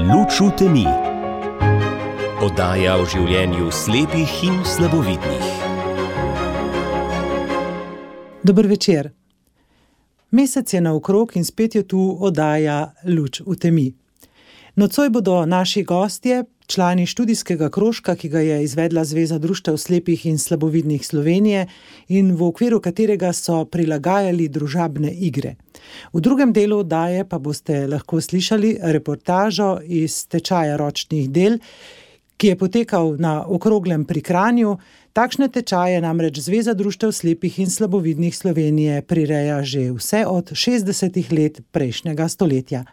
Luč v temi. Oddaja o življenju slepih in slabovidnih. Dober večer. Mesec je naokrog in spet je tu oddaja Luč v temi. Nocoj bodo naši gostje, člani študijskega krožka, ki ga je izvedla Zveza društev slepih in slabovidnih Slovenije in v okviru katerega so prilagajali družabne igre. V drugem delu oddaje pa boste lahko slišali reportažo iz tečaja ročnih del, ki je potekal na Okroglem pri Kranju. Takšne tečaje namreč Zveza društev slepih in slabovidnih Slovenije prireja že vse od 60 let prejšnjega stoletja.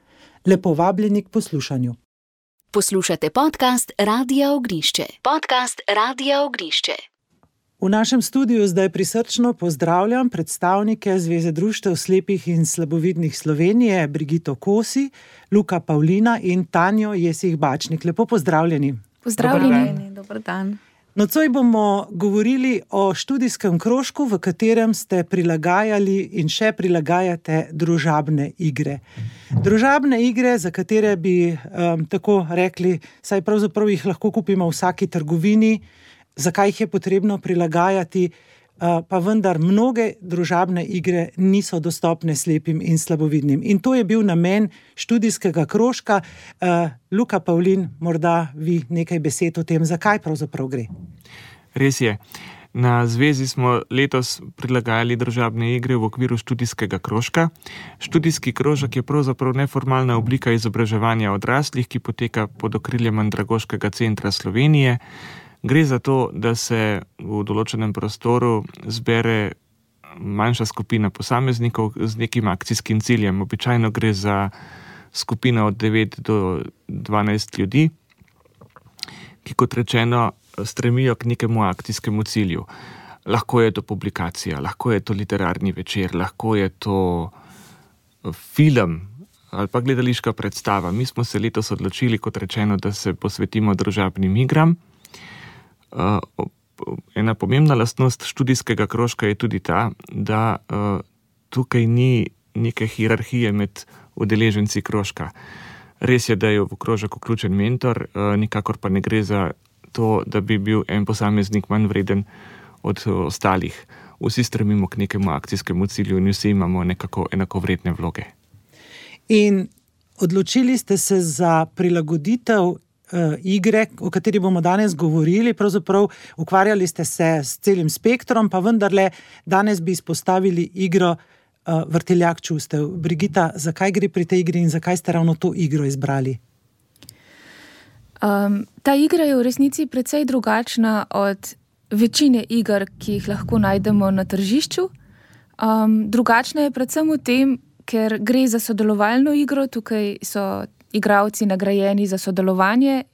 Lepo vabljeni k poslušanju. Poslušate podcast Radia Ognišče. V našem studiu zdaj prisrčno pozdravljam predstavnike Zveze društev slepih in slabovidnih Slovenije, Brigito Kosi, Luka Pavlina in Tanjo Jesih-Bačnik. Lepo pozdravljeni. Pozdravljeni, dober dan. Nocoj bomo govorili o študijskem krožku, v katerem ste prilagajali in še prilagajate družabne igre. Družabne igre, za katere bi tako rekli, saj pravzaprav jih lahko kupimo v vsaki trgovini, zakaj jih je potrebno prilagajati, pa vendar mnoge družabne igre niso dostopne slepim in slabovidnim. In to je bil namen študijskega krožka. Luka Pavlin, morda vi nekaj besed o tem, zakaj pravzaprav gre? Res je. Na zvezi smo letos prilagajali družabne igre v okviru študijskega krožka. Študijski krožek je pravzaprav neformalna oblika izobraževanja odraslih, ki poteka pod okriljem Andragoškega centra Slovenije. Gre za to, da se v določenem prostoru zbere manjša skupina posameznikov z nekim akcijskim ciljem. Običajno gre za skupino od 9 do 12 ljudi, ki, kot rečeno, stremijo k nekemu akcijskemu cilju. Lahko je to publikacija, lahko je to literarni večer, lahko je to film ali pa gledališka predstava. Mi smo se letos odločili, kot rečeno, da se posvetimo družabnim igram. Ena pomembna lastnost študijskega krožka je tudi ta, da tukaj ni neke hierarhije med udeleženci krožka. Res je, da je v krožek vključen mentor, nikakor pa ne gre za to, da bi bil en posameznik manj vreden od ostalih. Vsi stremimo k nekemu akcijskemu cilju in vsi imamo nekako enakovredne vloge. In odločili ste se za prilagoditev igre, o kateri bomo danes govorili. Pravzaprav ukvarjali ste se s celim spektrom, pa vendarle danes bi izpostavili igro Vrtiljak čustev. Brigita, zakaj gre pri tej igri in zakaj ste ravno to igro izbrali? Ta igra je v resnici precej drugačna od večine iger, ki jih lahko najdemo na tržišču. Drugačna je predvsem v tem, ker gre za sodelovalno igro. Tukaj so igralci nagrajeni za sodelovanje.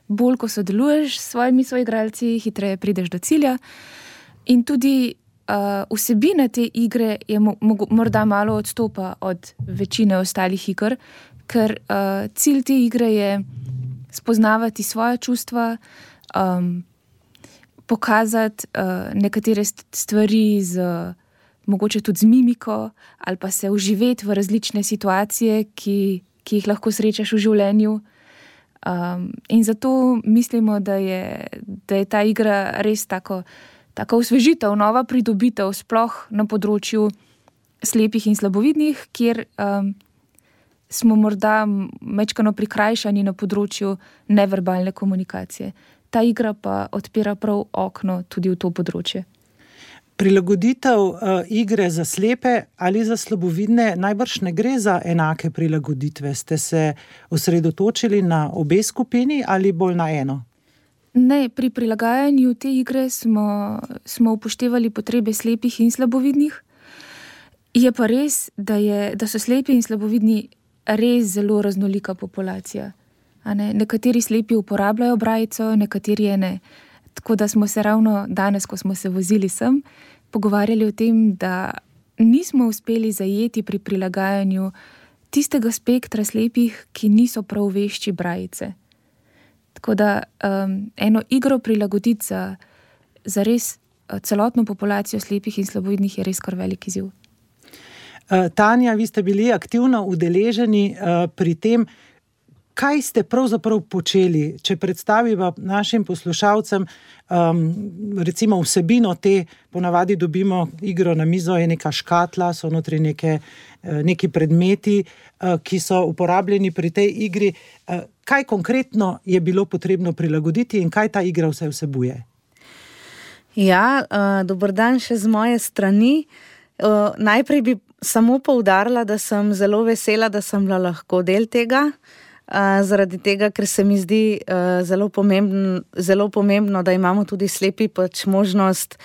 Bolj, ko sodeluješ s svojimi soigralci, hitreje prideš do cilja. In tudi vsebina te igre je morda malo odstopa od večine ostalih iger, ker cilj te igre je spoznavati svoja čustva, pokazati nekatere stvari mogoče tudi z mimiko, ali pa se vživeti v različne situacije, ki jih lahko srečaš v življenju. In zato mislimo, da je ta igra res tako osvežitev, nova pridobitev, sploh na področju slepih in slabovidnih, kjer smo morda mečkano prikrajšani na področju neverbalne komunikacije. Ta igra pa odpira prav okno tudi v to področje. Prilagoditev igre za slepe ali za slabovidne najbrž ne gre za enake prilagoditve. Ste se osredotočili na obe skupini ali bolj na eno? Ne, pri prilagajanju te igre smo upoštevali potrebe slepih in slabovidnih. Je pa res, da so slepi in slabovidni res zelo raznolika populacija. Nekateri slepi uporabljajo brajico, nekateri je ne. Tako da smo se ravno danes, ko smo se vozili sem, pogovarjali o tem, da nismo uspeli zajeti pri prilagajanju tistega spektra slepih, ki niso prav vešči brajice. Tako da eno igro prilagoditi za res celotno populacijo slepih in slabovidnih je res kar velik izziv. Tanja, vi ste bili aktivno udeleženi pri tem, kaj ste pravzaprav počeli, če predstaviva našim poslušalcem, recimo vsebino te, ponavadi dobimo igro na mizo, je neka škatla, so notri neki predmeti, ki so uporabljeni pri tej igri. Kaj konkretno je bilo potrebno prilagoditi in kaj ta igra vse vsebuje? Ja, dober dan še z moje strani. Najprej bi samo poudarila, da sem zelo vesela, da sem bila lahko del tega, zaradi tega, ker se mi zdi zelo pomembno, da imamo tudi slepi možnost,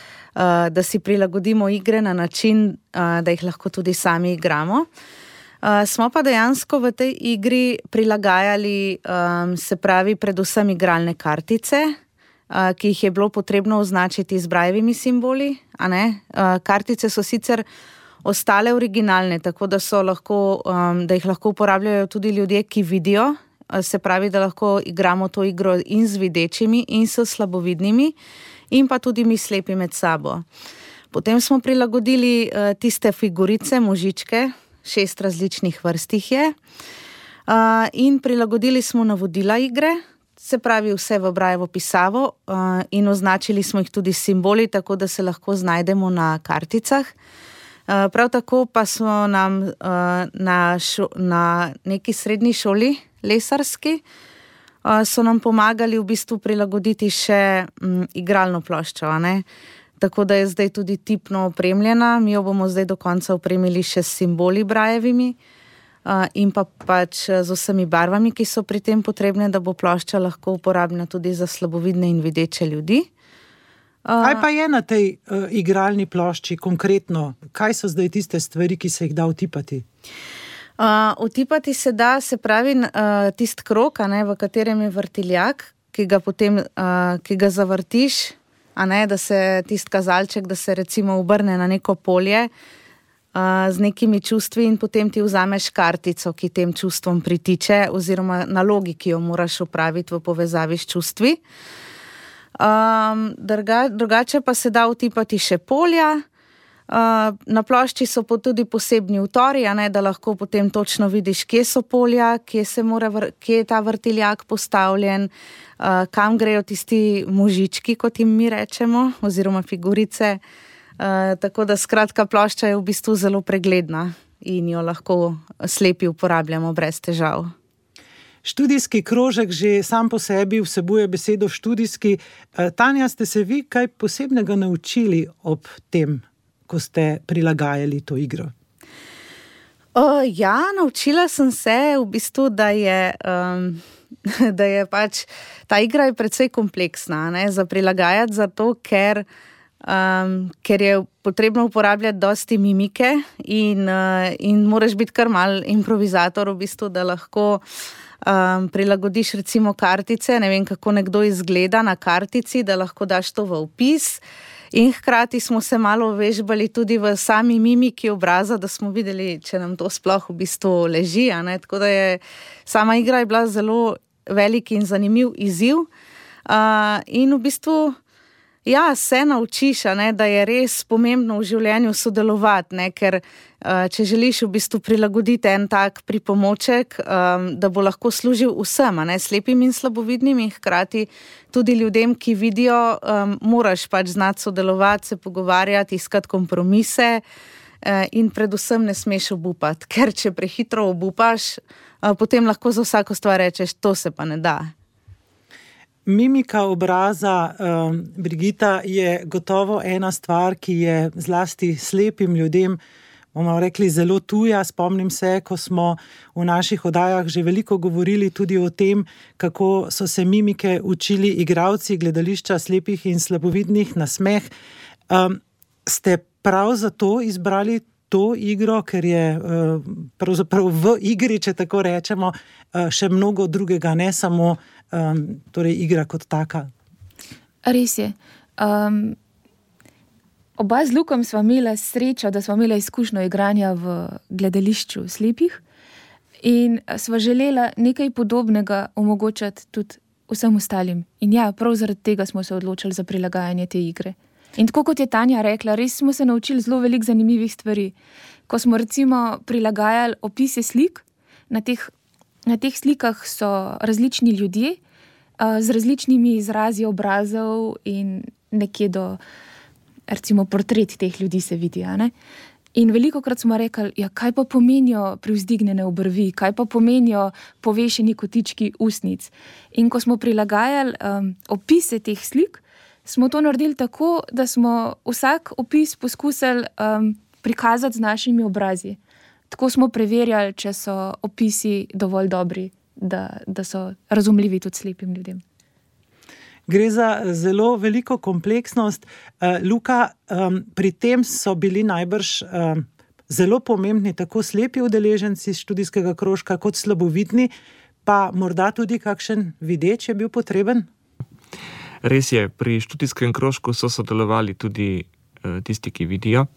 da si prilagodimo igre na način, da jih lahko tudi sami igramo. Smo pa dejansko v tej igri prilagajali, se pravi, predvsem igralne kartice, ki jih je bilo potrebno označiti z brajevimi simboli. Kartice so sicer ostale originalne, tako da da jih lahko uporabljajo tudi ljudje, ki vidijo, se pravi, da lahko igramo to igro in z videčimi in s slabovidnimi in pa tudi mi slepi med sabo. Potem smo prilagodili tiste figurice, možičke, 6 različnih vrst jih je, in prilagodili smo navodila igre, se pravi vse v brajevo pisavo, in označili smo jih tudi simboli, tako da se lahko znajdemo na karticah. Prav tako pa smo nam na neki srednji šoli, lesarski, so nam pomagali v bistvu prilagoditi še igralno ploščo, tako da je zdaj tudi tipno opremljena. Mi jo bomo zdaj do konca opremili še s simboli brajevimi in pa pač z vsemi barvami, ki so pri tem potrebne, da bo plošča lahko uporabna tudi za slabovidne in videče ljudi. Kaj pa je na tej igralni plošči konkretno? Kaj so zdaj tiste stvari, ki se jih da vtipati? Vtipati se da, se pravi, tist krog, v katerem je vrtiljak, ki ga zavrtiš, da se tist kazalček, da se recimo obrne na neko polje z nekimi čustvi in potem ti vzameš kartico, ki tem čustvom pritiče, oziroma nalogi, ki jo moraš opraviti v povezavi s čustvi. Drugače pa se da vtipati še polja. Na plošči so tudi posebni utori, da lahko potem točno vidiš, kje so polja, kje je ta vrtiljak postavljen, kam grejo tisti možički, kot jim mi rečemo, oziroma figurice. Tako da skratka plošča je v bistvu zelo pregledna in jo lahko slepi uporabljamo brez težav. Študijski krožek že sam po sebi vsebuje besedo študijski. Tanja, ste se vi kaj posebnega naučili ob tem, ko ste prilagajali to igro? Ja, naučila sem se v bistvu, da je pač ta igra je precej kompleksna, za prilagajati, zato ker je potrebno uporabljati dosti mimike in moraš biti kar mal improvizator v bistvu, da lahko prilagodiš recimo kartice, ne vem, kako nekdo izgleda na kartici, da lahko daš to v opis. In hkrati smo se malo vežbali tudi v sami mimiki obraza, da smo videli, če nam to sploh v bistvu leži. Tako da sama igra je bila zelo velik in zanimiv izziv. In v bistvu se naučiš, da je res pomembno v življenju sodelovati, ker če želiš v bistvu prilagoditi en tak pripomoček, da bo lahko služil vsem, slepim in slabovidnim, in hkrati tudi ljudem, ki vidijo, moraš pač znati sodelovati, se pogovarjati, iskati kompromise in predvsem ne smeš obupati, ker če prehitro obupaš, potem lahko za vsako stvar rečeš, to se pa ne da. Mimika obraza, Brigita, je gotovo ena stvar, ki je zlasti slepim ljudem, bomo rekli, zelo tuja. Spomnim se, ko smo v naših oddajah že veliko govorili tudi o tem, kako so se mimike učili igralci gledališča slepih in slabovidnih na smeh. Ste prav zato izbrali to igro, ker je pravzaprav v igri, če tako rečemo, še mnogo drugega, ne samo torej igra kot taka? Res je. Oba z Lukom sva imela srečo, da sva imela izkušnjo igranja v gledališču slepih in sva želela nekaj podobnega omogočati tudi vsem ostalim. In ja, prav zaradi tega smo se odločili za prilagajanje te igre. In tako kot je Tanja rekla, res smo se naučili zelo veliko zanimivih stvari. Ko smo recimo prilagajali opise slik na teh na teh slikah so različni ljudje z različnimi izrazi obrazov in nekje do, recimo, portret teh ljudi se vidi, ne? In velikokrat smo rekli, ja, kaj pa pomenijo privzdignjene obrvi, kaj pa pomenijo povešeni kotički usnic. In ko smo prilagajali opise teh slik, smo to naredili tako, da smo vsak opis poskusili prikazati z našimi obrazi. Tako smo preverjali, če so opisi dovolj dobri, da so razumljivi tudi slepim ljudem. Gre za zelo veliko kompleksnost. Luka, pri tem so bili najbrž zelo pomembni tako slepi udeleženci študijskega krožka kot slabovidni, pa morda tudi kakšen videč je bil potreben? Res je, pri študijskem krožku so sodelovali tudi tisti, ki vidijo.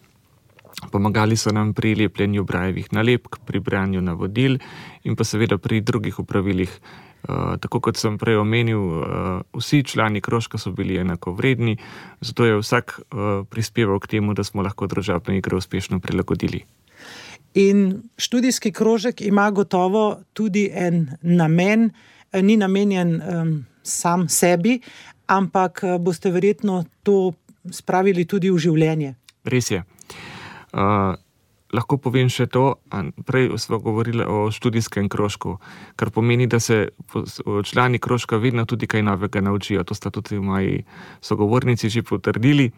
Pomagali so nam pri lepljenju brajevih nalepk, pri branju navodil in pa seveda pri drugih opravilih. Tako kot sem prej omenil, vsi člani krožka so bili enako vredni, zato je vsak prispeval k temu, da smo lahko družabno igro uspešno prilagodili. In študijski krožek ima gotovo tudi en namen, ni namenjen sam sebi, ampak boste verjetno to spravili tudi v življenje. Res je. Lahko povem še to, prej smo govorili o študijskem krožku, kar pomeni, da se člani krožka vedno tudi kaj novega naučijo. To sta tudi moji sogovornici že potrdili.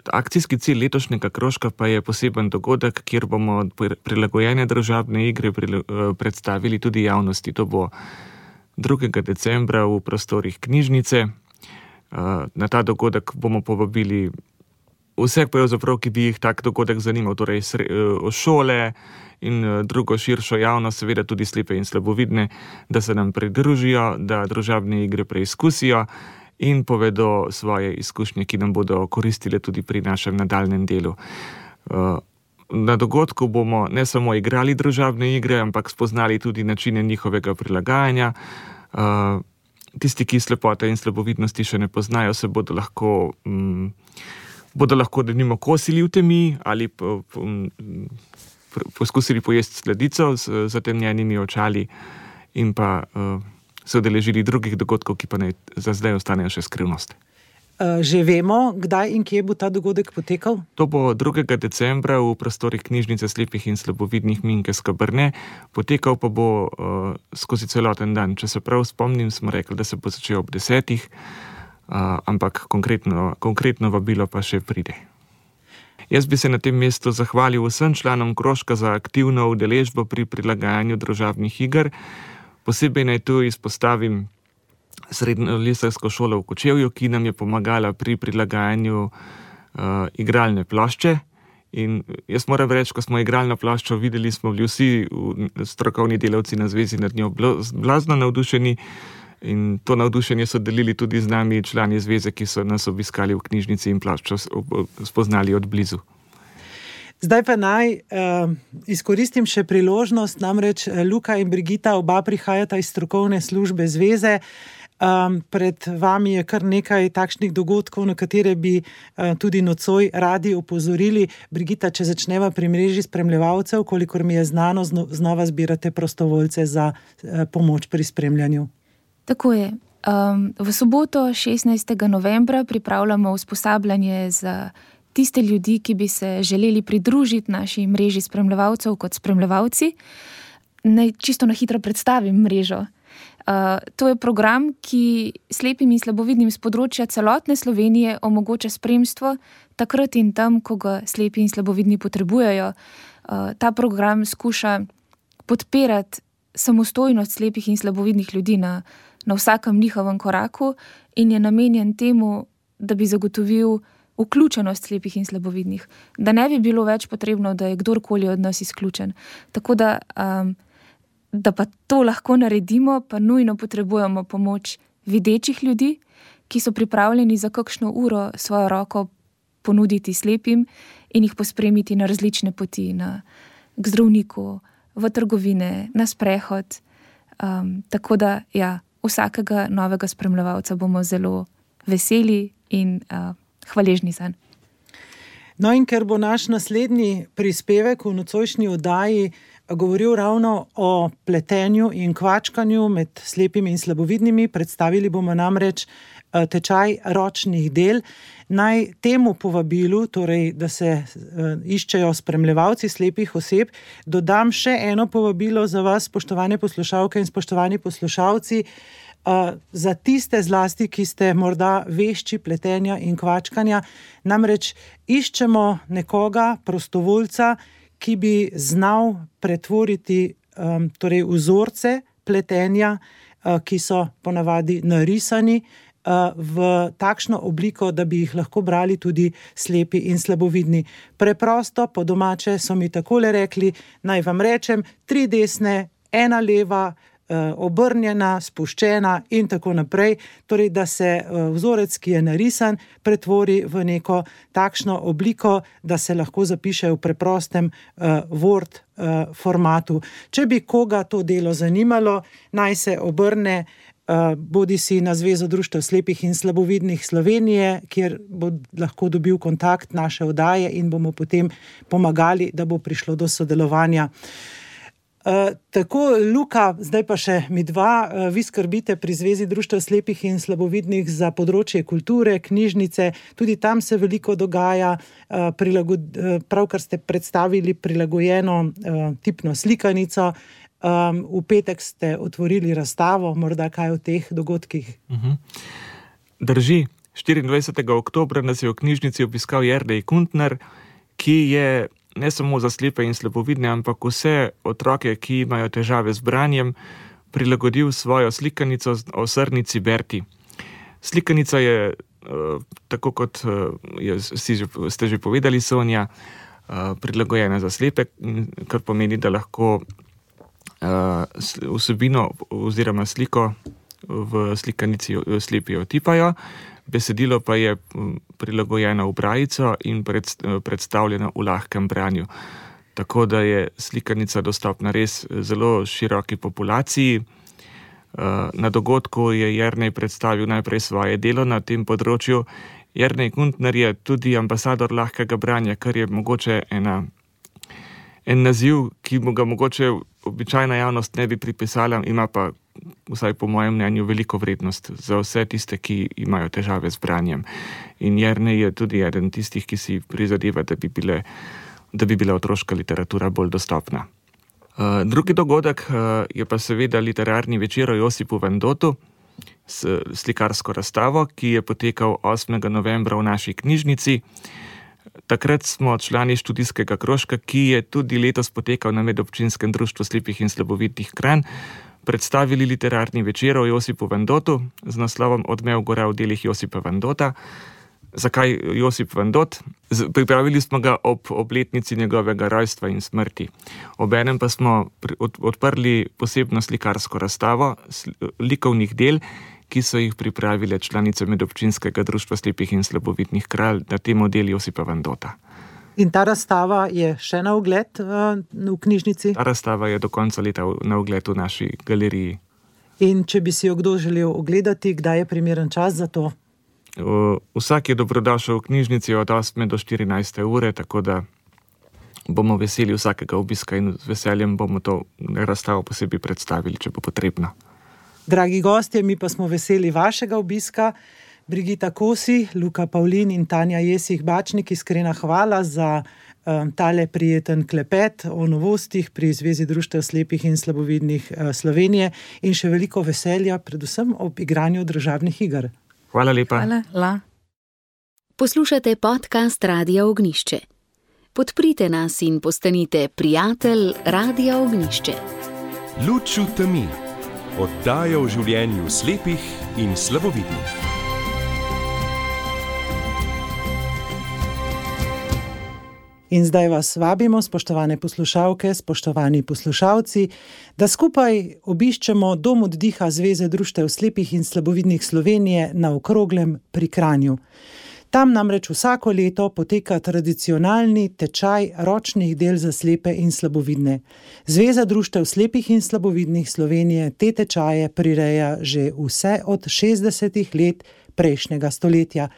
Akcijski cilj letošnjega krožka pa je poseben dogodek, kjer bomo prilagojene družabne igre predstavili tudi javnosti. To bo 2. decembra v prostorih knjižnice. Na ta dogodek bomo povabili vse, ki bi jih tak dogodek zanimal, torej šole in drugo širšo javnost, seveda tudi slepe in slabovidne, da se nam pridružijo, da družabne igre preizkusijo in povedo svoje izkušnje, ki nam bodo koristile tudi pri našem nadaljnjem delu. Na dogodku bomo ne samo igrali družabne igre, ampak spoznali tudi načine njihovega prilagajanja. Tisti, ki slepote in slabovidnosti še ne poznajo, se bodo lahko denimo kosili v temi ali poskusili pojesti sladico z zatemnjenimi očali in pa se udeležili drugih dogodkov, ki pa za zdaj ostanejo še skrivnost. Že vemo, kdaj in kje bo ta dogodek potekal? To bo 2. decembra v prostorih knjižnice slepih in slabovidnih Minke Skabrne, potekal pa bo skozi celoten dan. Če se prav spomnim, smo rekli, da se bo začel ob 10. Ampak konkretno vabilo pa še pride. Jaz bi se na tem mestu zahvalil vsem članom krožka za aktivno udeležbo pri prilagajanju družabnih iger. Posebej naj tu izpostavim Srednjo lesarsko šolo v Kočevju, ki nam je pomagala pri prilagajanju igralne plošče. In jaz moram reči, ko smo igralno ploščo videli, smo bili vsi strokovni delavci na zvezi nad njo blazno navdušeni. In to navdušenje so delili tudi z nami člani zveze, ki so nas obiskali v knjižnici in ploščo spoznali od blizu. Zdaj pa naj izkoristim še priložnost, namreč Luka in Brigita oba prihajata iz strokovne službe zveze. Pred vami je kar nekaj takšnih dogodkov, na katere bi tudi nocoj radi opozorili. Brigita, če začneva pri mreži spremljevalcev, kolikor mi je znano, znova zbirate prostovoljce za pomoč pri spremljanju. Tako je. V soboto 16. novembra pripravljamo usposabljanje za tiste ljudi, ki bi se želeli pridružiti naši mreži spremljevalcev kot spremljevalci. Naj čisto na hitro predstavim mrežo. To je program, ki slepim in slabovidnim z področja celotne Slovenije omogoča spremstvo takrat in tam, ko ga slepi in slabovidni potrebujejo. Ta program skuša podpirati samostojnost slepih in slabovidnih ljudi na vsakem njihovem koraku in je namenjen temu, da bi zagotovil vključenost slepih in slabovidnih, da ne bi bilo več potrebno, da je kdorkoli od nas izključen. Tako da pa to lahko naredimo, pa nujno potrebujemo pomoč videčih ljudi, ki so pripravljeni za kakšno uro svojo roko ponuditi slepim in jih pospremiti na različne poti, k zdravniku, v trgovine, na sprehod. Tako da, ja, vsakega novega spremljevalca bomo zelo veseli in hvaležni zanj. No in ker bo naš naslednji prispevek v nocojšnji oddaji govoril ravno o pletenju in kvačkanju med slepimi in slabovidnimi. Predstavili bomo namreč tečaj ročnih del. Naj temu povabilu, torej, da se iščejo spremljevalci slepih oseb, dodam še eno povabilo za vas, spoštovane poslušalke in spoštovani poslušalci, za tiste zlasti, ki ste morda vešči pletenja in kvačkanja. Namreč iščemo nekoga, prostovoljca, ki bi znal pretvoriti torej vzorce pletenja, ki so ponavadi narisani, v takšno obliko, da bi jih lahko brali tudi slepi in slabovidni. Preprosto, po domače so mi takole rekli, naj vam rečem, 3 desne, 1 leva, obrnjena, spuščena in tako naprej. Torej, da se vzorec, ki je narisan, pretvori v neko takšno obliko, da se lahko zapiše v preprostem Word formatu. Če bi koga to delo zanimalo, naj se obrne bodi si na Zvezo društev slepih in slabovidnih Slovenije, kjer bo lahko dobil kontakt naše oddaje in bomo potem pomagali, da bo prišlo do sodelovanja. Tako, Luka, zdaj pa še mi dva, vi skrbite pri Zvezi društev slepih in slabovidnih za področje kulture, knjižnice, tudi tam se veliko dogaja, pravkar ste predstavili prilagojeno tipno slikanico, v petek ste otvorili razstavo, morda kaj o teh dogodkih? Drži, 24. oktobra nas je v knjižnici obiskal Jernej Kuntner, ki je ne samo za slepe in slabovidne, ampak vse otroke, ki imajo težave z branjem, prilagodil svojo slikanico o srnici Berti. Slikanica je, tako kot ste že povedali, Sonja, prilagojena za slepe, kar pomeni, da lahko vsebino oziroma sliko v slikanici slepi otipajo, besedilo pa je prilagojeno v brajico in predstavljeno v lahkem branju. Tako da je slikanica dostopna res zelo široki populaciji. Na dogodku je Jernej predstavil najprej svoje delo na tem področju. Jernej Kuntner je tudi ambasador lahkega branja, kar je mogoče en naziv, ki mu ga mogoče običajna javnost ne bi pripisala, ima pa, vsaj po mojem mnenju, veliko vrednost za vse tiste, ki imajo težave z branjem. In Jernej je tudi eden tistih, ki si prizadeva, da bi bila otroška literatura bolj dostopna. Drugi dogodek je pa seveda literarni večer o Josipu Vendotu s slikarsko razstavo, ki je potekal 8. novembra v naši knjižnici. Takrat smo člani študijskega krožka, ki je tudi letos potekal na Medobčinskem društvu slepih in slabovidnih Kranj, predstavili literarni večer o Josipu Vendotu z naslovom Odmev gora v delih Josipa Vendota. Zakaj Josip Vendot? Pripravili smo ga ob obletnici njegovega rojstva in smrti. Obenem pa smo odprli posebno slikarsko razstavo likovnih del, ki so jih pripravile članice Medobčinskega društva slepih in slabovidnih Kranj na temo del Josipa Vendota. In ta razstava je še na ogled v knjižnici? Ta razstava je do konca leta na ogled v naši galeriji. In če bi si jo kdo želel ogledati, kdaj je primeren čas za to? Vsak je dobrodošel v knjižnici od 8. do 14. ure, tako da bomo veseli vsakega obiska in z veseljem bomo to razstavo posebej predstavili, če bo potrebno. Dragi gostje, mi pa smo veseli vašega obiska. Brigita Kosi, Luka Pavlin in Tanja Jesih-Bačnik, iskrena hvala za tale prijeten klepet o novostih pri Zvezi društev slepih in slabovidnih Slovenije in še veliko veselja, predvsem ob igranju družabnih iger. Hvala lepa. Hvala. Poslušate podcast Radia Ognišče. Podprite nas in postanite prijatelj Radia Ognišče. Luč v temi. Oddaja o življenju slepih in slabovidnih. In zdaj vas vabimo, spoštovane poslušalke, spoštovani poslušalci, da skupaj obiščemo Dom oddiha Zveze društev slepih in slabovidnih Slovenije na Okroglem pri Kranju. Tam namreč vsako leto poteka tradicionalni tečaj ročnih del za slepe in slabovidne. Zveza društev slepih in slabovidnih Slovenije te tečaje prireja že vse od 60 let prejšnjega stoletja.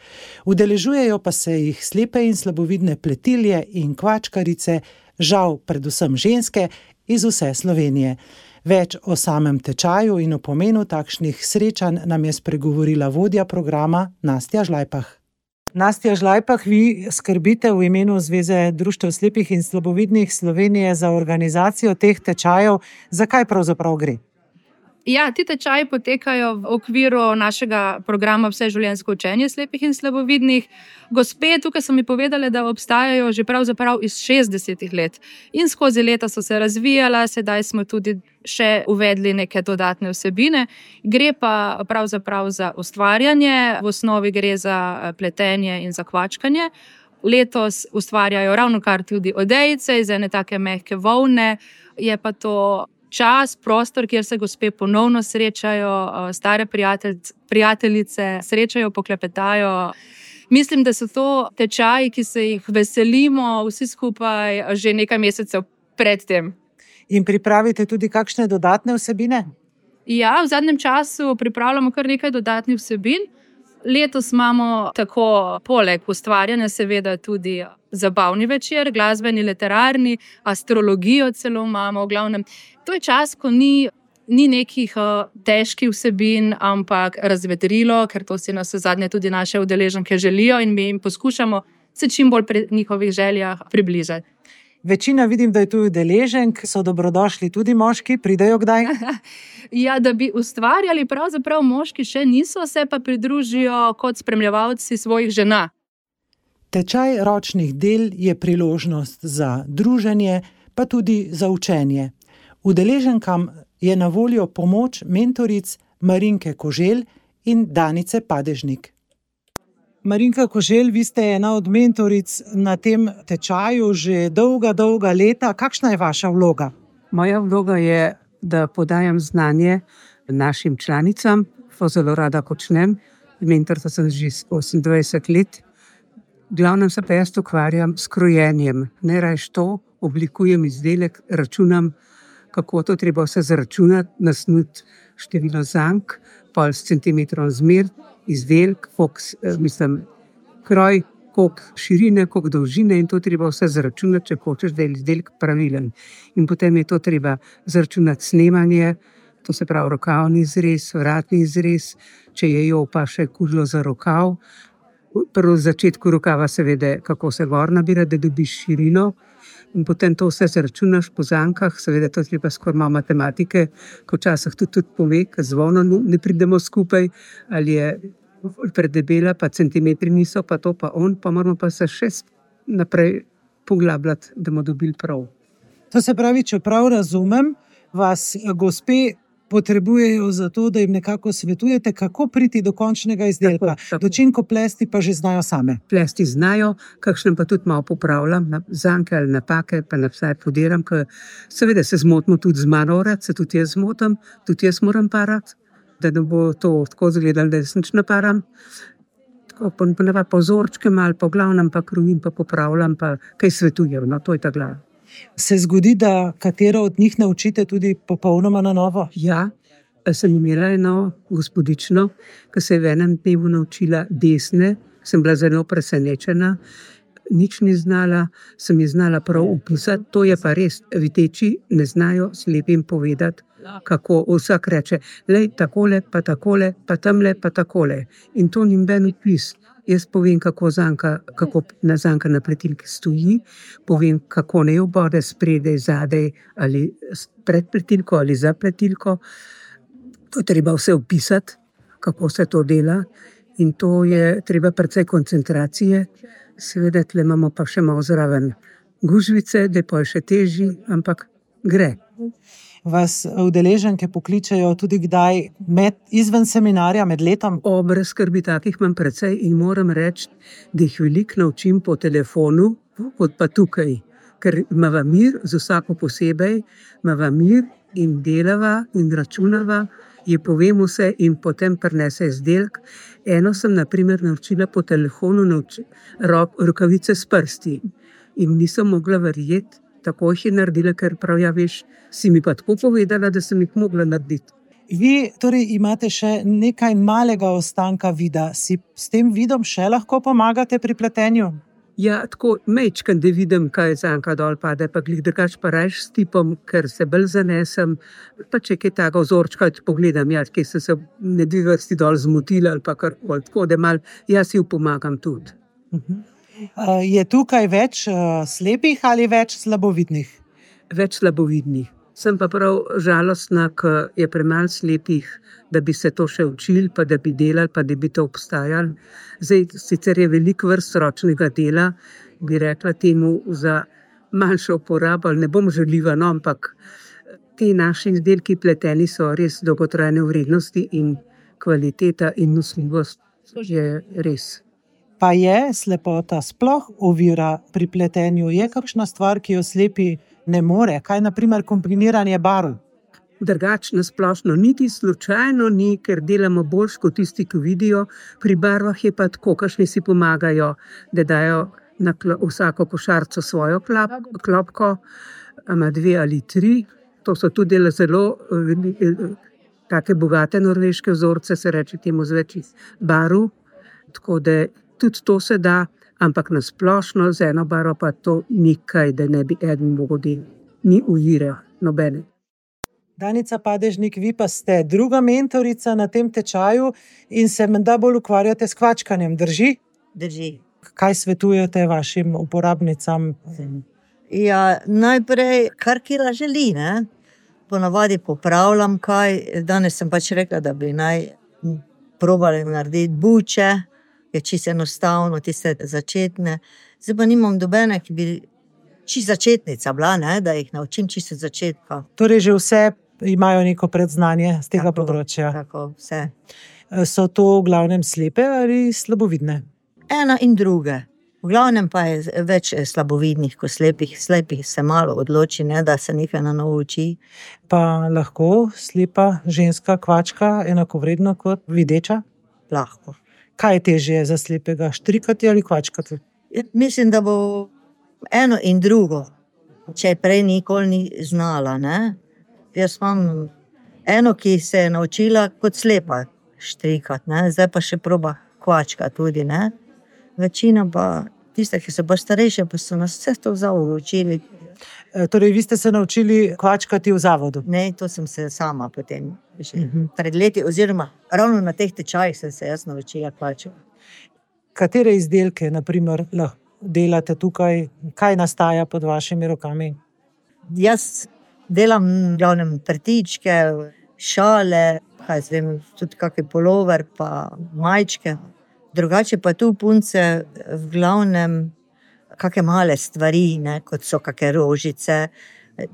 Udeležujejo pa se jih slepe in slabovidne pletilje in kvačkarice Žal predvsem ženske iz vse Slovenije. Več o samem tečaju in o pomenu takšnih srečanj nam je spregovorila vodja programa Nastja Žlajpah. Nastja Žlajpah, vi skrbite v imenu Zveze društev slepih in slabovidnih Slovenije za organizacijo teh tečajev. Zakaj pravzaprav gre? Ja, ti tečaji potekajo v okviru našega programa Vseživljenjsko učenje slepih in slabovidnih. Gospe tukaj so mi povedale, da obstajajo že pravzaprav iz 60 let in skozi leta so se razvijala, sedaj smo tudi še uvedli neke dodatne vsebine. Gre pa pravzaprav za ustvarjanje, v osnovi gre za pletenje in za kvačkanje. Letos ustvarjajo ravnokar tudi odejice iz ene take mehke volne, je pa to čas, prostor, kjer se gospe ponovno srečajo, stare prijateljice srečajo, poklepetajo. Mislim, da so to tečaji, ki se jih veselimo vsi skupaj že nekaj mesecev pred tem. In pripravite tudi kakšne dodatne vsebine? Ja, v zadnjem času pripravljamo kar nekaj dodatnih vsebin. Letos imamo tako poleg ustvarjanja seveda tudi zabavni večer, glasbeni, literarni, astrologijo celo imamo. V glavnem, to je čas, ko ni nekih težkih vsebin, ampak razvedrilo, ker to si nas zadnje tudi naše udeleženke želijo in mi jim poskušamo se čim bolj pri njihovih željah približati. Večina vidim, da je tu udeleženk, so dobrodošli tudi moški, pridejo kdaj? Ja, da bi ustvarjali, pravzaprav moški še niso, se pa pridružijo kot spremljevalci svojih žena. Tečaj ročnih del je priložnost za druženje, pa tudi za učenje. Udeleženkam je na voljo pomoč mentoric Marinke Koželj in Danice Padežnik. Marinka Koželj, vi ste ena od mentoric na tem tečaju že dolga leta. Kakšna je vaša vloga? Moja vloga je, da podajam znanje našim članicam, to zelo rada počnem. Mentorica sem že 28 let. Glavnem se pa jaz ukvarjam s krojenjem. Najrajš to, oblikujem izdelek, računam, kako to treba vse zaračunati, nasnuti število zank, pol s centimetrom zmer, izdelek, kroj, koliko širine, koliko dolžine in to treba vse zaračunati, če hočeš, da je izdelek pravilen. In potem je to treba zaračunati snemanje, to se pravi rokavni izrez, vratni izrez, če je jo pa še kužilo za rokav. Prvo v začetku rokava seveda, kako se gor nabira, da dobiš širino. In potem to vse zaračunaš po zankah, seveda to treba skoraj malo matematike, ko včasih tudi pove, ker zvono ne pridemo skupaj, ali je predebela, pa centimetri niso, pa to pa on, pa moramo pa se še naprej poglabljati, da bomo dobili prav. To se pravi, če prav razumem, vas gospe potrebujejo za to, da jim nekako svetujete, kako priti do končnega izdelka. Dočinko plesti pa že znajo same. Plesti znajo, kakšnem pa tudi malo popravljam, zanke ali napake, pa napsaj podiram, ker seveda se zmotimo tudi z mano urad, se tudi jaz zmotam, tudi jaz moram parati, da ne bo to tako izgledalo, da jaz nič naparam. Tako pa vzorčke malo, po glavnem pa krojim, pa popravljam, pa kaj svetujem, no to je ta glava. Se zgodi, da katero od njih naučite tudi popolnoma na novo? Ja, sem imela eno gospodično, ki se je v enem dnevu naučila desne, sem bila zelo presenečena, nič ni znala, sem ji znala prav opisati, to je pa res, viteči ne znajo slepim povedati, kako vsak reče, lej, takole, pa tamle, pa takole. In to ni noben opis. Jaz povem, kako zanka na pletilki stoji, povem, kako ne obode spredaj, zadaj, ali pred pletilko, ali za pletilko. To je treba vse opisati, kako se to dela. In to je treba precej koncentracije. Seveda, tle imamo pa še malo zraven gužvice, da pa je še težji, ampak gre. Vas udeleženke pokličejo tudi kdaj izven seminarja, med letom? Brez skrbi, takih imam precej in moram reči, da jih veliko naučim po telefonu, kot pa tukaj. Ker imava mir, z vsako posebej, imava mir in delava in računava, je povem vse in potem prinese izdelek. Eno sem na primer naučila po telefonu rokavice s prsti in nisem mogla verjeti, tako jih je naredila, ker prav ja veš, si mi pa tako povedala, da sem jih mogla narediti. Vi torej imate še nekaj malega ostanka vida. Si s tem vidom še lahko pomagate pri pletenju? Ja, tako mečkam, da vidim, kaj zanka dol pade, pa glih drugač pa rajš s tipom, ker se bolj zanesem, pa če kaj tako vzorčka pogledam, ja, kje so se ne dve vrsti dol zmotili ali pa karkoli, tako da mal jaz si pomagam tudi. Je tukaj več slepih ali več slabovidnih? Več slabovidnih. Sem pa prav žalostna, ker je premalo slepih, da bi se to še učili, pa da bi delali, pa da bi to obstajali. Zdaj, sicer je veliko vrst ročnega dela, bi rekla temu za manjšo uporabo, ne bom žaljiva, no, ampak ti naši izdelki pleteni so res dolgotrajne vrednosti in kvaliteta in nosljivost je res. Pa je slepota sploh ovira pri pletenju? Je kakšna stvar, ki jo slepi ne more? Kaj naprimer kombiniranje barv? Drugače na splošno niti slučajno ni, ker delamo boljš kot tisti, ki vidijo. Pri barvah je pa tako, kakšni si pomagajo, da dajo na vsako košarico svojo klopko, ima 2 ali 3. To so tudi zelo take bogate norveške vzorce, se reče temu z več barv. Tako da tudi to se da, ampak na splošno z eno barvo pa to nikaj, da ne bi eden mogel delati. Ni ujire nobene. Danica Padežnik, vi pa ste druga mentorica na tem tečaju in se menda bolj ukvarjate s kvačkanjem, drži? Drži. Kaj svetujete vašim uporabnicam? Ja, najprej, kar kila želi, ne? Ponavadi popravljam kaj. Danes sem pač rekla, da bi naj probali narediti buče, je čisto enostavno, tiste začetne. Zdaj pa nimam dobene, ki bi čisto začetnica bila, ne? Da jih naučim čisto začetka. Torej že vse imajo neko predznanje z tega področja. Tako, vse. So to v glavnem slepe ali slabovidne? Ena in druge. V glavnem pa je več slabovidnih kot slepih. Slepih se malo odloči, ne, da se nekaj na novo uči. Pa lahko slepa ženska kvačka enakovredno kot videča? Lahko. Kaj je težje za slepega, štrikati ali kvačkati? Mislim, da bo eno in drugo, če prej nikoli ni znala, ne. Jaz imam eno, ki se je naučila kot slepa štrikati, ne. Zdaj pa še proba kvačka tudi, ne. Večina pa, tiste, ki so pa starejše, pa so nas vse to v zavodu učili. Torej, vi ste se naučili kvačkati v zavodu? Ne, to sem se sama potem pred leti, oziroma ravno na teh tečajih sem se jaz naučila kvačkati. Katere izdelke, naprimer, lahko delate tukaj? Kaj nastaja pod vašimi rokami? Jaz delam v glavnem prtičke, šale, kaj zvem, tudi kakšen polover, pa majčke. Drugače pa tu punce v glavnem kakšne male stvari, ne, kot so kakšne rožice.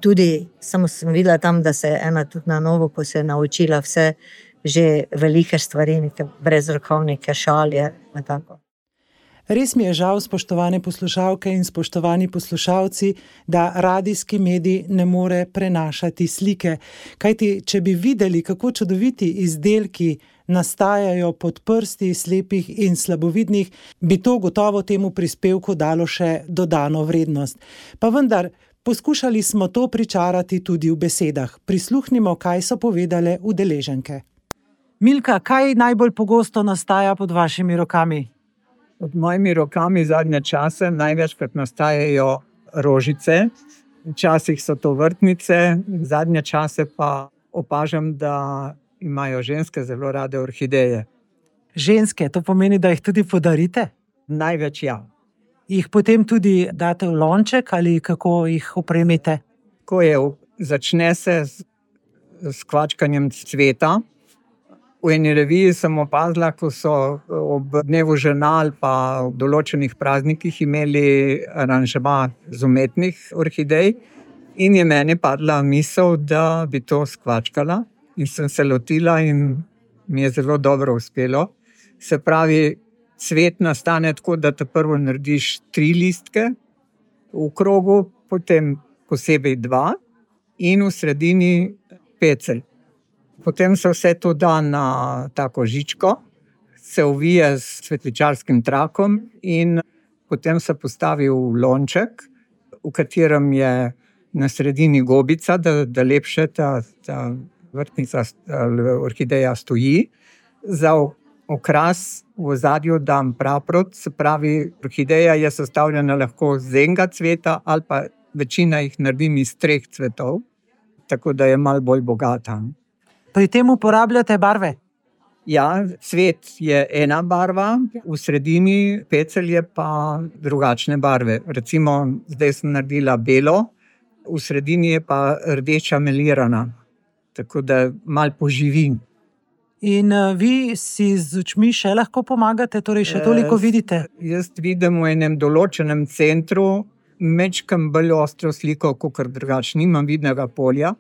Tudi samo sem videla tam, da se je ena tudi na novo, ko se je naučila vse že velike stvari, neke brezrokovnike, šalje, tako. Res mi je žal, spoštovane poslušalke in spoštovani poslušalci, da radijski medij ne more prenašati slike. Kajti, če bi videli, kako čudoviti izdelki nastajajo pod prsti slepih in slabovidnih, bi to gotovo temu prispevku dalo še dodano vrednost. Pa vendar, poskušali smo to pričarati tudi v besedah. Prisluhnimo, kaj so povedale udeleženke. Milka, kaj najbolj pogosto nastaja pod vašimi rokami? Pod mojimi rokami zadnje čase največkrat nastajajo rožice, včasih so to vrtnice, zadnje čase pa opažam, da imajo ženske zelo rade orhideje. Ženske, to pomeni, da jih tudi podarite? Največ ja. Jih potem tudi date v lonček ali kako jih opremite? Ko začne se s kvačkanjem cveta. V eni reviji sem opazila, ko so ob dnevu žena ali pa ob določenih praznikih imeli aranžma z umetnih orhidej in je meni padla misel, da bi to skvačkala in sem se lotila in mi je zelo dobro uspelo. Se pravi, cvet nastane tako, da te prvo narediš 3 listke v krogu, potem posebej 2 in v sredini pecelj. Potem se vse to da na tako žičko, se ovije s cvetličarskim trakom in potem se postavi v lonček, v katerem je na sredini gobica, da lepše ta vrtnica orhideja stoji. Za okras v ozadju dam praprot, se pravi, orhideja je sestavljena lahko z enega cveta ali pa večina jih naredim iz 3 cvetov, tako da je malo bolj bogata. Pri tem uporabljate barve? Ja, cvet je ena barva, v sredini pecelj je pa drugačne barve. Recimo, zdaj sem naredila belo, v sredini je pa rdeča melirana, tako da malo poživi. In vi si z očmi še lahko pomagate, torej še toliko vidite? Jaz vidim v enem določenem centru mečkam bolj ostro sliko, kakor drugače, nimam vidnega polja.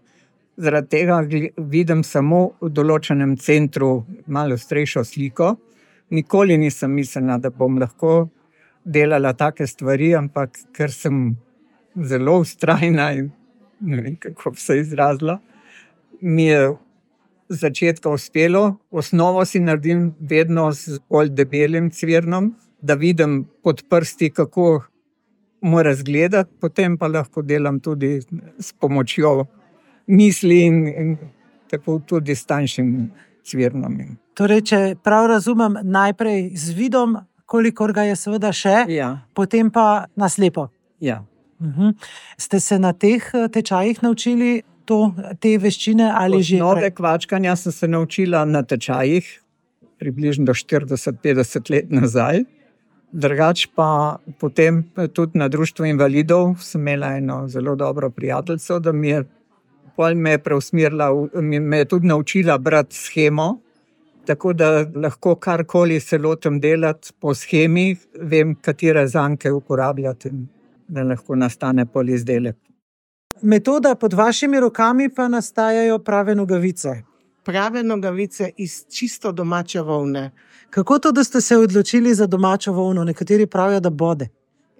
Zaradi tega vidim samo v določenem centru malo ostrejšo sliko. Nikoli nisem mislila, da bom lahko delala take stvari, ampak ker sem zelo vztrajna in ne vem, kako bi se izrazila, mi je z začetka uspelo. Osnovo si naredim vedno z bolj debelim cvirnom, da vidim pod prsti, kako mora izgledati, potem pa lahko delam tudi s pomočjo misli in tako tudi s tanjšim cvirnom. Torej, če prav razumem, najprej z vidom, kolikor ga je seveda še, potem pa na slepo. Ja. Ste se na teh tečajih naučili te veščine ali že? Osnove kvačkanja sem se naučila na tečajih, približno do 40-50 let nazaj. Drugač pa potem tudi na društvu invalidov sem imela eno zelo dobro prijateljico, da me je preusmerila, me je tudi naučila brati shemo, tako da lahko karkoli se lotim delati po shemi, vem, katere zanke uporabljati, da lahko nastane polizdelek. Metoda pod vašimi rokami pa nastajajo prave nogavice. Prave nogavice iz čisto domače volne. Kako to, da ste se odločili za domačo volno? Nekateri pravijo, da bode.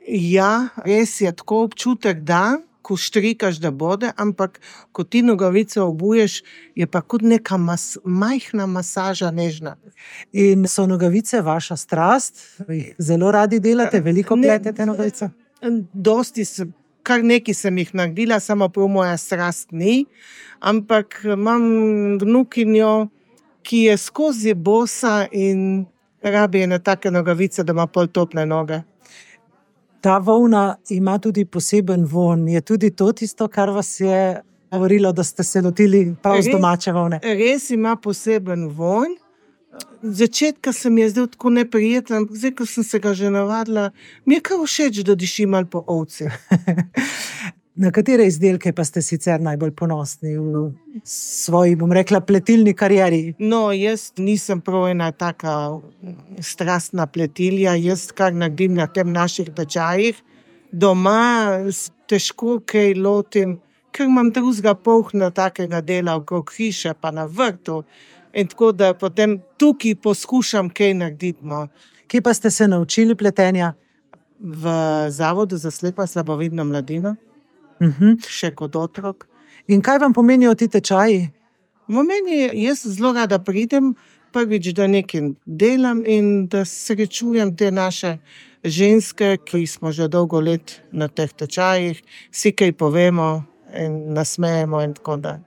Ja, res je tako občutek, da ko štrikaš, da bode, ampak ko ti nogavice obuješ, je pa kot neka majhna masaža, nežna. In so nogavice vaša strast? Zelo radi delate, veliko pletete nogavice? Kar nekaj sem jih naredila, samo prav moja strast ni, ampak imam vnukinjo, ki je skozi bosa in rabi ene take nogavice, da ima pol tople noge. Ta volna ima tudi poseben vonj. Je tudi to tisto, kar vas je govorilo, da ste se lotili prav z domače volne? Res ima poseben vonj. Začetka se mi je zdel tako neprijeten, ampak zdaj, ko sem se ga že navadila, mi je kar všeč, da diši malo po ovci. Na katere izdelke pa ste sicer najbolj ponosni v svoji, bom rekla, pletilni karieri? No, jaz nisem prav ena taka strastna pletilja, jaz kar naredim na tem naših tečajih. Doma težko kaj lotim, ker imam drugega polhna takega dela okrog hiše, pa na vrtu. In tako da potem tukaj poskušam kaj narediti. No. Kje pa ste se naučili pletenja? V Zavodu za slepo in slabovidno mladino. Še kot otrok. In kaj vam pomenijo ti tečaji? Jaz zelo rada pridem, prvič, da nekaj delam in da srečujem te naše ženske, ki smo že dolgo let na teh tečajih, si kaj povemo in nasmejemo in tako da.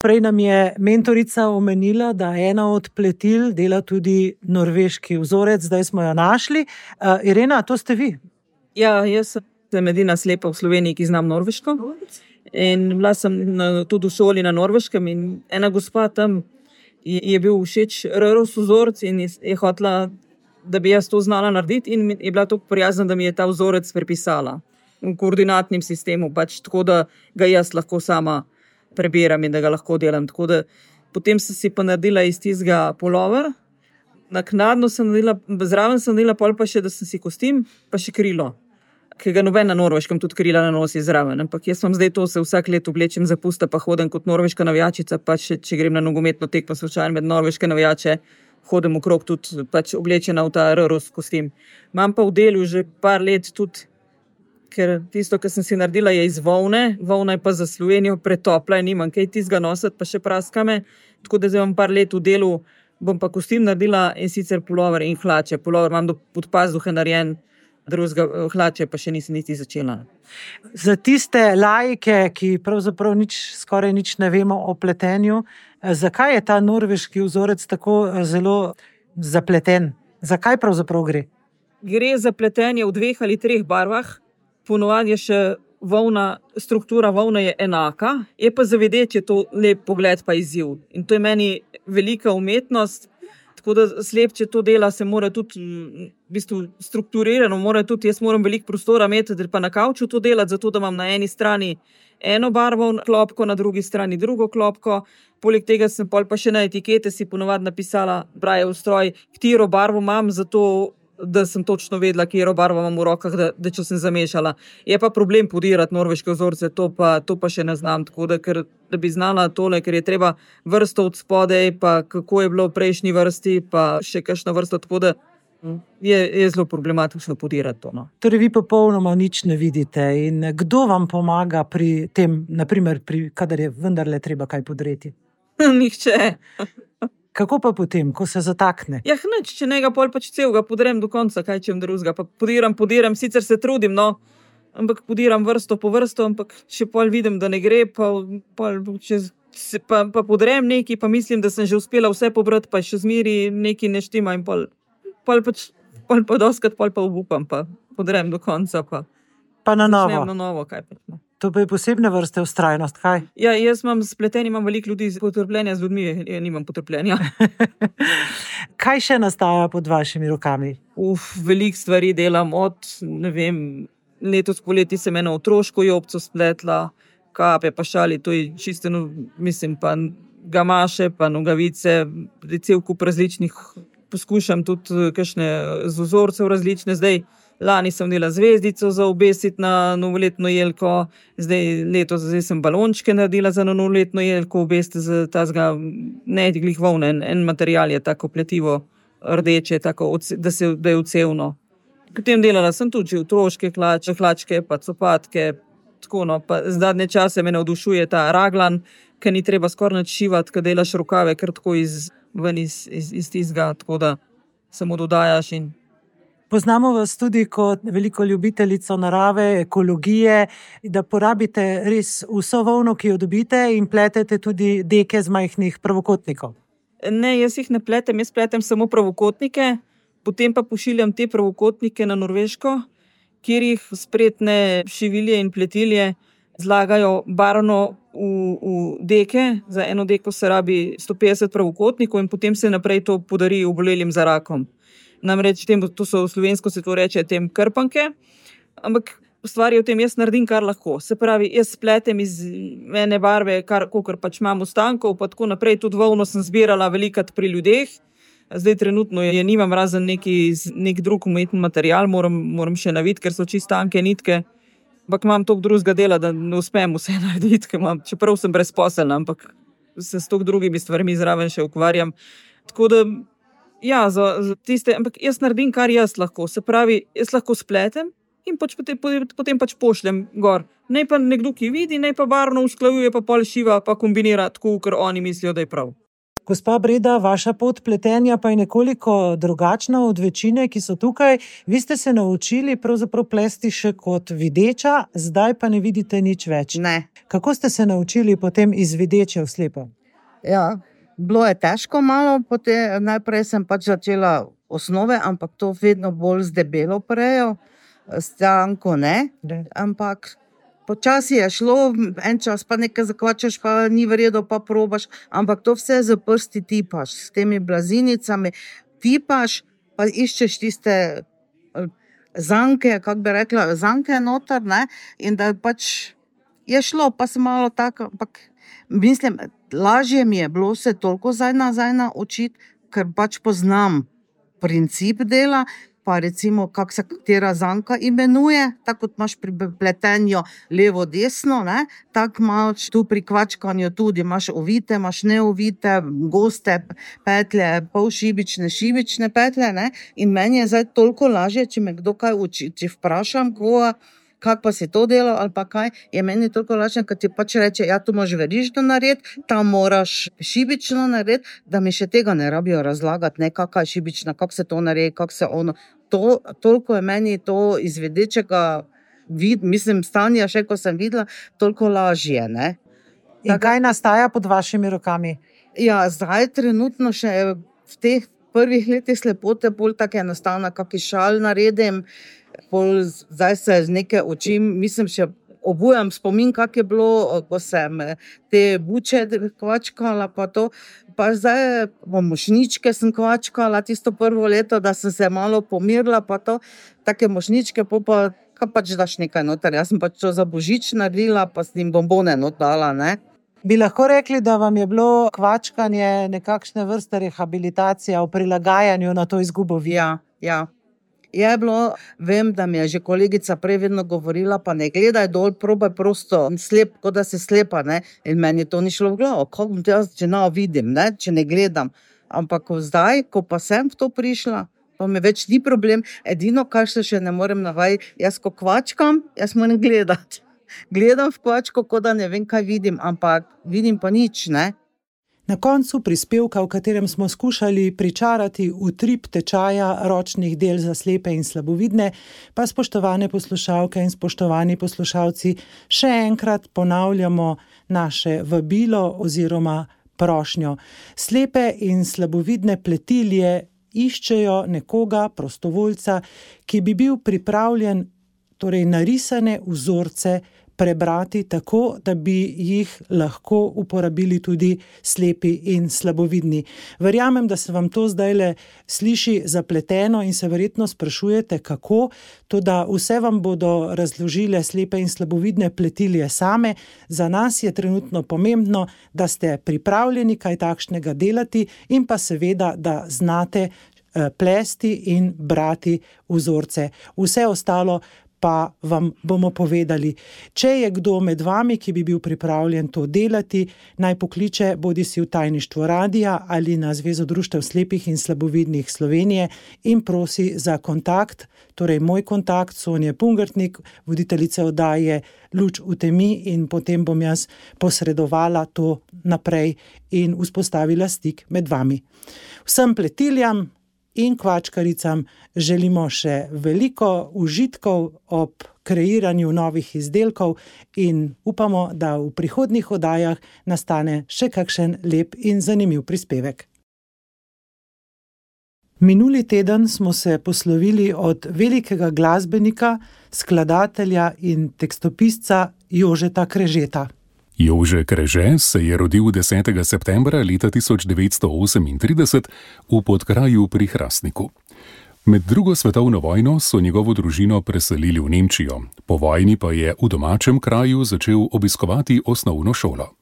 Prej nam je mentorica omenila, da ena od pletil dela tudi norveški vzorec, zdaj smo jo našli. Irena, to ste vi? Ja, jaz sem edina slepa v Sloveniji, ki znam norveško. In bila sem tudi v šoli na Norveškem in ena gospa tam je bil všeč RROS vzorec in je hotela, da bi jaz to znala narediti in je bila tako prijazna, da mi je ta vzorec prepisala v koordinatnem sistemu, pač tako, da ga jaz lahko sama prebiram in da ga lahko delam. Tako da potem sem si pa naredila iz tistega pulover, naknadno sem naredila, zraven sem naredila pol pa še, da sem si kostim, pa še krilo, ki ga noben na Norveškem tudi krila na nosi zraven. Ampak jaz vam zdaj to se vsak let oblečem za pusta, pa hodim kot norveška navijačica, pa še, če grem na nogometno tekmo slučajno med norveške navijače, hodim okrog tudi pač oblečena v ta RROS kostim. Imam pa v delu že par let tudi, ker tisto, kar sem si naredila, je iz volne. Volna je pa za Slovenijo pretopla in nimam kaj tistega nositi, pa še praska me. Tako da zdaj imam par let v delu, bom pa kostim naredila in sicer pulover in hlače. Pulover imam do podpazuhe narejen, drugega hlače pa še nisem niti začela. Za tiste laike, ki pravzaprav skoraj nič ne vemo o pletenju, zakaj je ta norveški vzorec tako zelo zapleten. Zakaj pravzaprav gre? Gre za pletenje v 2 ali 3 barvah, ponovadi je še struktura volne je enaka, je pa za videti to lep pogled pa izziv. In to je meni velika umetnost, tako da slep, če to dela, se mora tudi v bistvu strukturirano, jaz moram veliko prostora imeti, da pa na kavču to delati, zato da imam na eni strani eno barvo klopko, na drugi strani drugo klopko. Poleg tega sem pa še na etikete si ponovadi napisala Braillev stroj, katero barvo imam, zato da sem točno vedela, katero barvo imam v rokah, da če sem zamešala. Je pa problem podirati norveške vzorce, to pa še ne znam, tako da bi znala tole, ker je treba vrsto od spodaj, pa kako je bilo v prejšnji vrsti, pa še kakšna vrsta, tako da je zelo problematično podirati to. No. Torej, vi popolnoma nič ne vidite. In kdo vam pomaga pri tem, naprimer, kadar je vendarle treba kaj podreti? Nihče. Kako pa potem, ko se zatakne? Ja, nič, če njega pol pač celega podrem do konca, kaj čem drugega. Pa podiram, sicer se trudim, no, ampak podiram vrsto po vrsto, ampak če pol vidim, da ne gre, pa podrem nekaj, pa mislim, da sem že uspela vse pobrati, pa še zmeri nekaj ne štima in pol pa doskrat pa obupam, pa podrem do konca, pa na novo. Na novo, kaj pa. No. To pa je posebne vrste vztrajnost, kaj? Ja, jaz imam imam veliko ljudi potrpljenja, z ljudmi nimam potrpljenja. Kaj še nastaja pod vašimi rokami? Veliko stvari delam, ne vem, letos poleti sem eno otroško jopco spletla, kape pa šali, to je čisto, mislim, pa gamaše, pa nogavice, cel kup različnih, poskušam tudi kakšne z vzorcev različne, zdaj lani sem delala zvezdico za obesiti na novoletno jelko, zdaj sem balončke naredila za novoletno jelko, obesiti za tazga neglih volne, en material je tako pletivo rdeče, tako, da je ucevno. Potem delala sem tudi že otroške hlačke, pa copatke, tako no, pa zadnje čase me navdušuje ta raglan, ker ni treba skoraj nič šivati, ker delaš rokave kar tako iz tistega, tako da samo dodajaš in Poznamo vas tudi kot veliko ljubiteljico narave, ekologije, da porabite res vso volno, ki jo dobite, in pletete tudi deke z majhnih pravokotnikov. Ne, jaz jih ne pletem, jaz pletem samo pravokotnike, potem pa pošiljam te pravokotnike na Norveško, kjer jih spretne šivilje in pletilje zlagajo barvno v deke. Za eno deko se rabi 150 pravokotnikov in potem se naprej to podari obolelim za rakom. Namreč, to so slovensko se to reče tem krpanke, ampak stvar je v tem, jaz naredim kar lahko. Se pravi, jaz spletem iz ene barve, kakor pač imam ostankov, pa tako naprej, tudi volno sem zbirala velikrat pri ljudeh. Zdaj trenutno je nimam, razen nek drug umetni material, moram še naviti, ker so čisto tanke nitke, ampak imam toliko drugega dela, da ne uspem vse narediti, čeprav sem brezposelna, ampak se s toliko drugimi stvarmi zraven še ukvarjam. Tako da ja, za tiste, ampak jaz naredim, kar jaz lahko. Se pravi, jaz lahko spletem in potem pač pošljem gor. Naj pa nekdo, ki vidi, naj pa barvno usklajuje, pa pol šiva, pa kombinira tako, ker oni mislijo, da je prav. Gospa Breda, vaša pot pletenja pa je nekoliko drugačna od večine, ki so tukaj. Vi ste se naučili pravzaprav plesti še kot videča, zdaj pa ne vidite nič več. Ne. Kako ste se naučili potem iz videče v slepo? Ja, bilo je težko malo, potem najprej sem pač začela osnove, ampak to vedno bolj z debelo prejo, s tanko ne, ampak počasi je šlo, en čas pa nekaj zakvačaš, pa ni vredo, pa probaš, ampak to vse z prsti tipaš, s temi blazinicami tipaš, pa iščeš tiste zanke, kako bi rekla, zanke noter, ne, in da pač je šlo, pa sem malo tako, ampak mislim, lažje mi je bilo se toliko nazaj naučiti, ker pač poznam princip dela, pa recimo, kako se katera zanka imenuje, tako kot imaš pri pletenju levo-desno, tako imaš tu pri kvačkanju tudi, imaš ovite, imaš neovite, goste petlje, polšibične, šibične petlje, in meni je zdaj toliko lažje, če me kdo kaj uči, če vprašam koga, kako pa si to delal ali pa kaj, je meni toliko lažje, ker ti pač reče, ja, tu moraš verižno narediti, tam moraš šibično narediti, da mi še tega ne rabijo razlagati, kakva je šibična, kako se to naredi, kako se ono. Toliko je meni to iz vedečega, mislim, stanja še, ko sem videla, toliko lažje, ne. In kaj nastaja pod vašimi rokami? Ja, zdaj trenutno še v teh prvih letih slepote bolj tako enostavno, kakšen šal naredim, zdaj se z neke oči, mislim, še obujam spomin, kak je bilo, ko sem te buče kvačkala, pa to, pa zdaj mošničke sem kvačkala tisto prvo leto, da sem se malo pomirila, pa to, take mošničke, pa kaj pač daš nekaj noter, jaz sem pač to za božič naredila, pa s njim bombone not dala, ne. Bi lahko rekli, da vam je bilo kvačkanje nekakšne vrste rehabilitacija v prilagajanju na to izgubo vida? Ja. Je bilo, vem, da mi je že kolegica prej vedno govorila, pa ne gledaj dol, probaj prosto slep, kot da si slepa, ne. In meni to ni šlo v glavo, kako bom te jaz, če ne vidim, ne, če ne gledam. Ampak zdaj, ko pa sem v to prišla, pa mi več ni problem, edino, kar se še ne morem navajati, jaz ko kvačkam, jaz moram gledati. Gledam v kvačko, kot da ne vem, kaj vidim, ampak vidim pa nič, ne. Na koncu prispevka, v katerem smo skušali pričarati utrip tečaja ročnih del za slepe in slabovidne, pa spoštovane poslušalke in spoštovani poslušalci, še enkrat ponavljamo naše vabilo oziroma prošnjo. Slepe in slabovidne pletilje iščejo nekoga, prostovoljca, ki bi bil pripravljen, torej narisane vzorce, prebrati tako, da bi jih lahko uporabili tudi slepi in slabovidni. Verjamem, da se vam to zdajle sliši zapleteno in se verjetno sprašujete, kako, toda vse vam bodo razložile slepe in slabovidne pletilje same. Za nas je trenutno pomembno, da ste pripravljeni kaj takšnega delati in pa seveda, da znate plesti in brati vzorce. Vse ostalo pa vam bomo povedali. Če je kdo med vami, ki bi bil pripravljen to delati, naj pokliče bodisi v tajništvo radia ali na Zvezo društev slepih in slabovidnih Slovenije in prosi za kontakt, torej moj kontakt, Sonje Pungartnik, voditeljice oddaje Luč v temi, in potem bom jaz posredovala to naprej in vzpostavila stik med vami. Vsem pletiljam in kvačkaricam želimo še veliko užitkov ob kreiranju novih izdelkov in upamo, da v prihodnjih oddajah nastane še kakšen lep in zanimiv prispevek. Minuli teden smo se poslovili od velikega glasbenika, skladatelja in tekstopisca Jožeta Krežeta. Jože Kreže se je rodil 10. septembra leta 1938 v Podkraju pri Hrastniku. Med drugo svetovno vojno so njegovo družino preselili v Nemčijo, po vojni pa je v domačem kraju začel obiskovati osnovno šolo.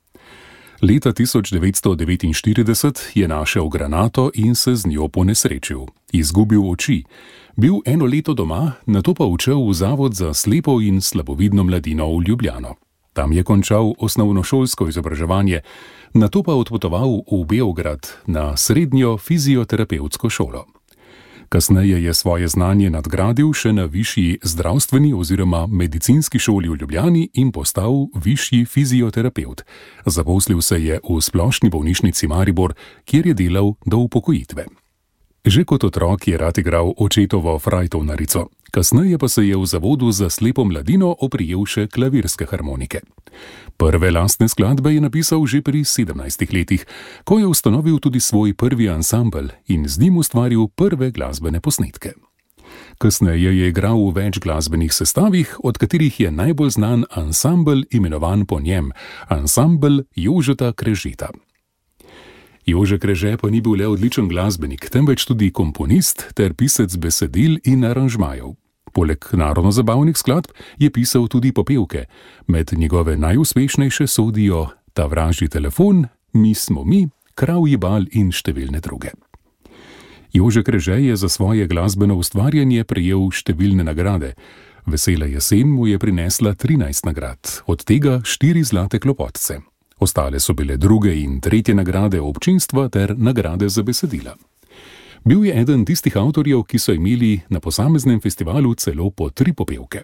Leta 1949 je našel granato in se z njo ponesrečil. Izgubil oči. Bil eno leto doma, nato pa odšel v Zavod za slepo in slabovidno mladino v Ljubljano. Tam je končal osnovnošolsko izobraževanje, nato pa odpotoval v Beograd na srednjo fizioterapevtsko šolo. Kasneje je svoje znanje nadgradil še na višji zdravstveni oziroma medicinski šoli v Ljubljani in postal višji fizioterapevt. Zaposlil se je v Splošni bolnišnici Maribor, kjer je delal do upokojitve. Že kot otrok je rad igral očetovo frajtovnarico, kasneje pa se je v Zavodu za slepo mladino oprijel še klavirske harmonike. Prve lastne skladbe je napisal že pri 17 letih, ko je ustanovil tudi svoj prvi ansambel in z njim ustvaril prve glasbene posnetke. Kasneje je igral v več glasbenih sestavih, od katerih je najbolj znan ansambel imenovan po njem, ansambel Jožeta Krežeta. Jože Kreže pa ni bil le odličen glasbenik, temveč tudi komponist ter pisec besedil in aranžmajev. Poleg narodno-zabavnih skladb je pisal tudi popevke. Med njegove najuspešnejše sodijo Ta vražji telefon, Mi smo mi, Kravji bal in številne druge. Jože Kreže je za svoje glasbeno ustvarjanje prejel številne nagrade. Vesela jesen mu je prinesla 13 nagrad, od tega 4 zlate klopotce. Ostale so bile druge in tretje nagrade občinstva ter nagrade za besedila. Bil je eden tistih avtorjev, ki so imeli na posameznem festivalu celo po 3 popevke.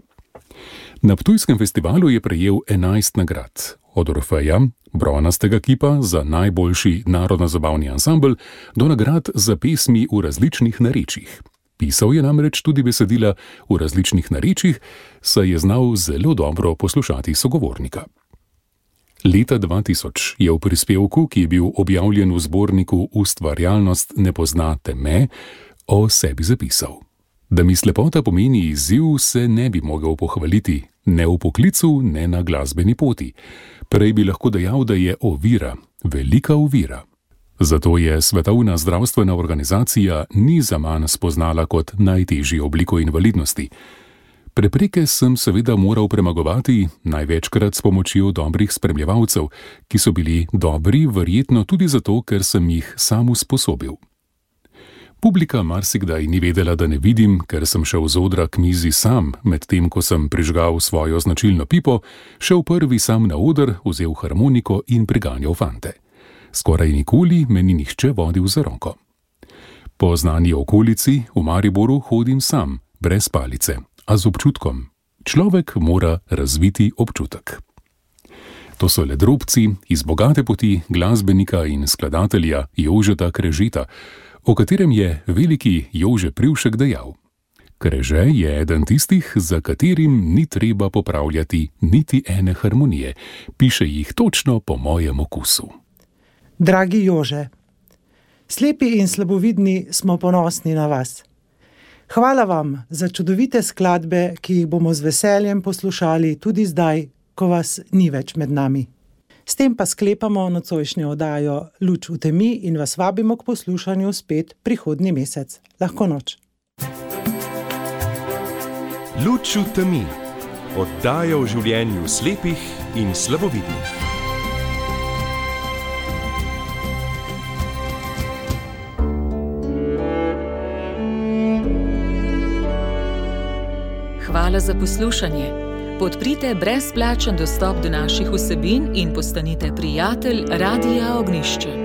Na ptujskem festivalu je prejel 11 nagrad, od Orfeja, bronastega kipa za najboljši narodno-zabavni ansambel, do nagrad za pesmi v različnih narečjih. Pisal je namreč tudi besedila v različnih narečjih, saj je znal zelo dobro poslušati sogovornika. Leta 2000 je v prispevku, ki je bil objavljen v zborniku Ustvarjalnost ne pozna teme, o sebi zapisal: da mi slepota pomeni izziv, se ne bi mogel pohvaliti, ne v poklicu, ne na glasbeni poti. Prej bi lahko dejal, da je ovira, velika ovira. Zato je Svetovna zdravstvena organizacija ni zaman spoznala kot najtežjo obliko invalidnosti. Prepreke sem seveda moral premagovati, največkrat s pomočjo dobrih spremljevalcev, ki so bili dobri verjetno tudi zato, ker sem jih sam usposobil. Publika marsikdaj ni vedela, da ne vidim, ker sem šel z odra k mizi sam, medtem ko sem prižgal svojo značilno pipo, šel prvi sam na oder, vzel harmoniko in priganjal fante. Skoraj nikoli me ni nihče vodil za roko. Po znani okolici v Mariboru hodim sam, brez palice, a z občutkom. Človek mora razviti občutek. To so le drobci iz bogate poti glasbenika in skladatelja Jožeta Krežeta, o katerem je veliki Jože Privšek dejal: Kreže je eden tistih, za katerim ni treba popravljati niti ene harmonije, piše jih točno po mojem okusu. Dragi Jože, slepi in slabovidni smo ponosni na vas. Hvala vam za čudovite skladbe, ki jih bomo z veseljem poslušali tudi zdaj, ko vas ni več med nami. S tem pa sklepamo nocojšnjo oddajo Luč v temi in vas vabimo k poslušanju spet prihodnji mesec. Lahko noč. Luč v temi. Oddaja o življenju slepih in slabovidnih. Hvala za poslušanje. Podprite brezplačen dostop do naših vsebin in postanite prijatelj Radia Ognišče.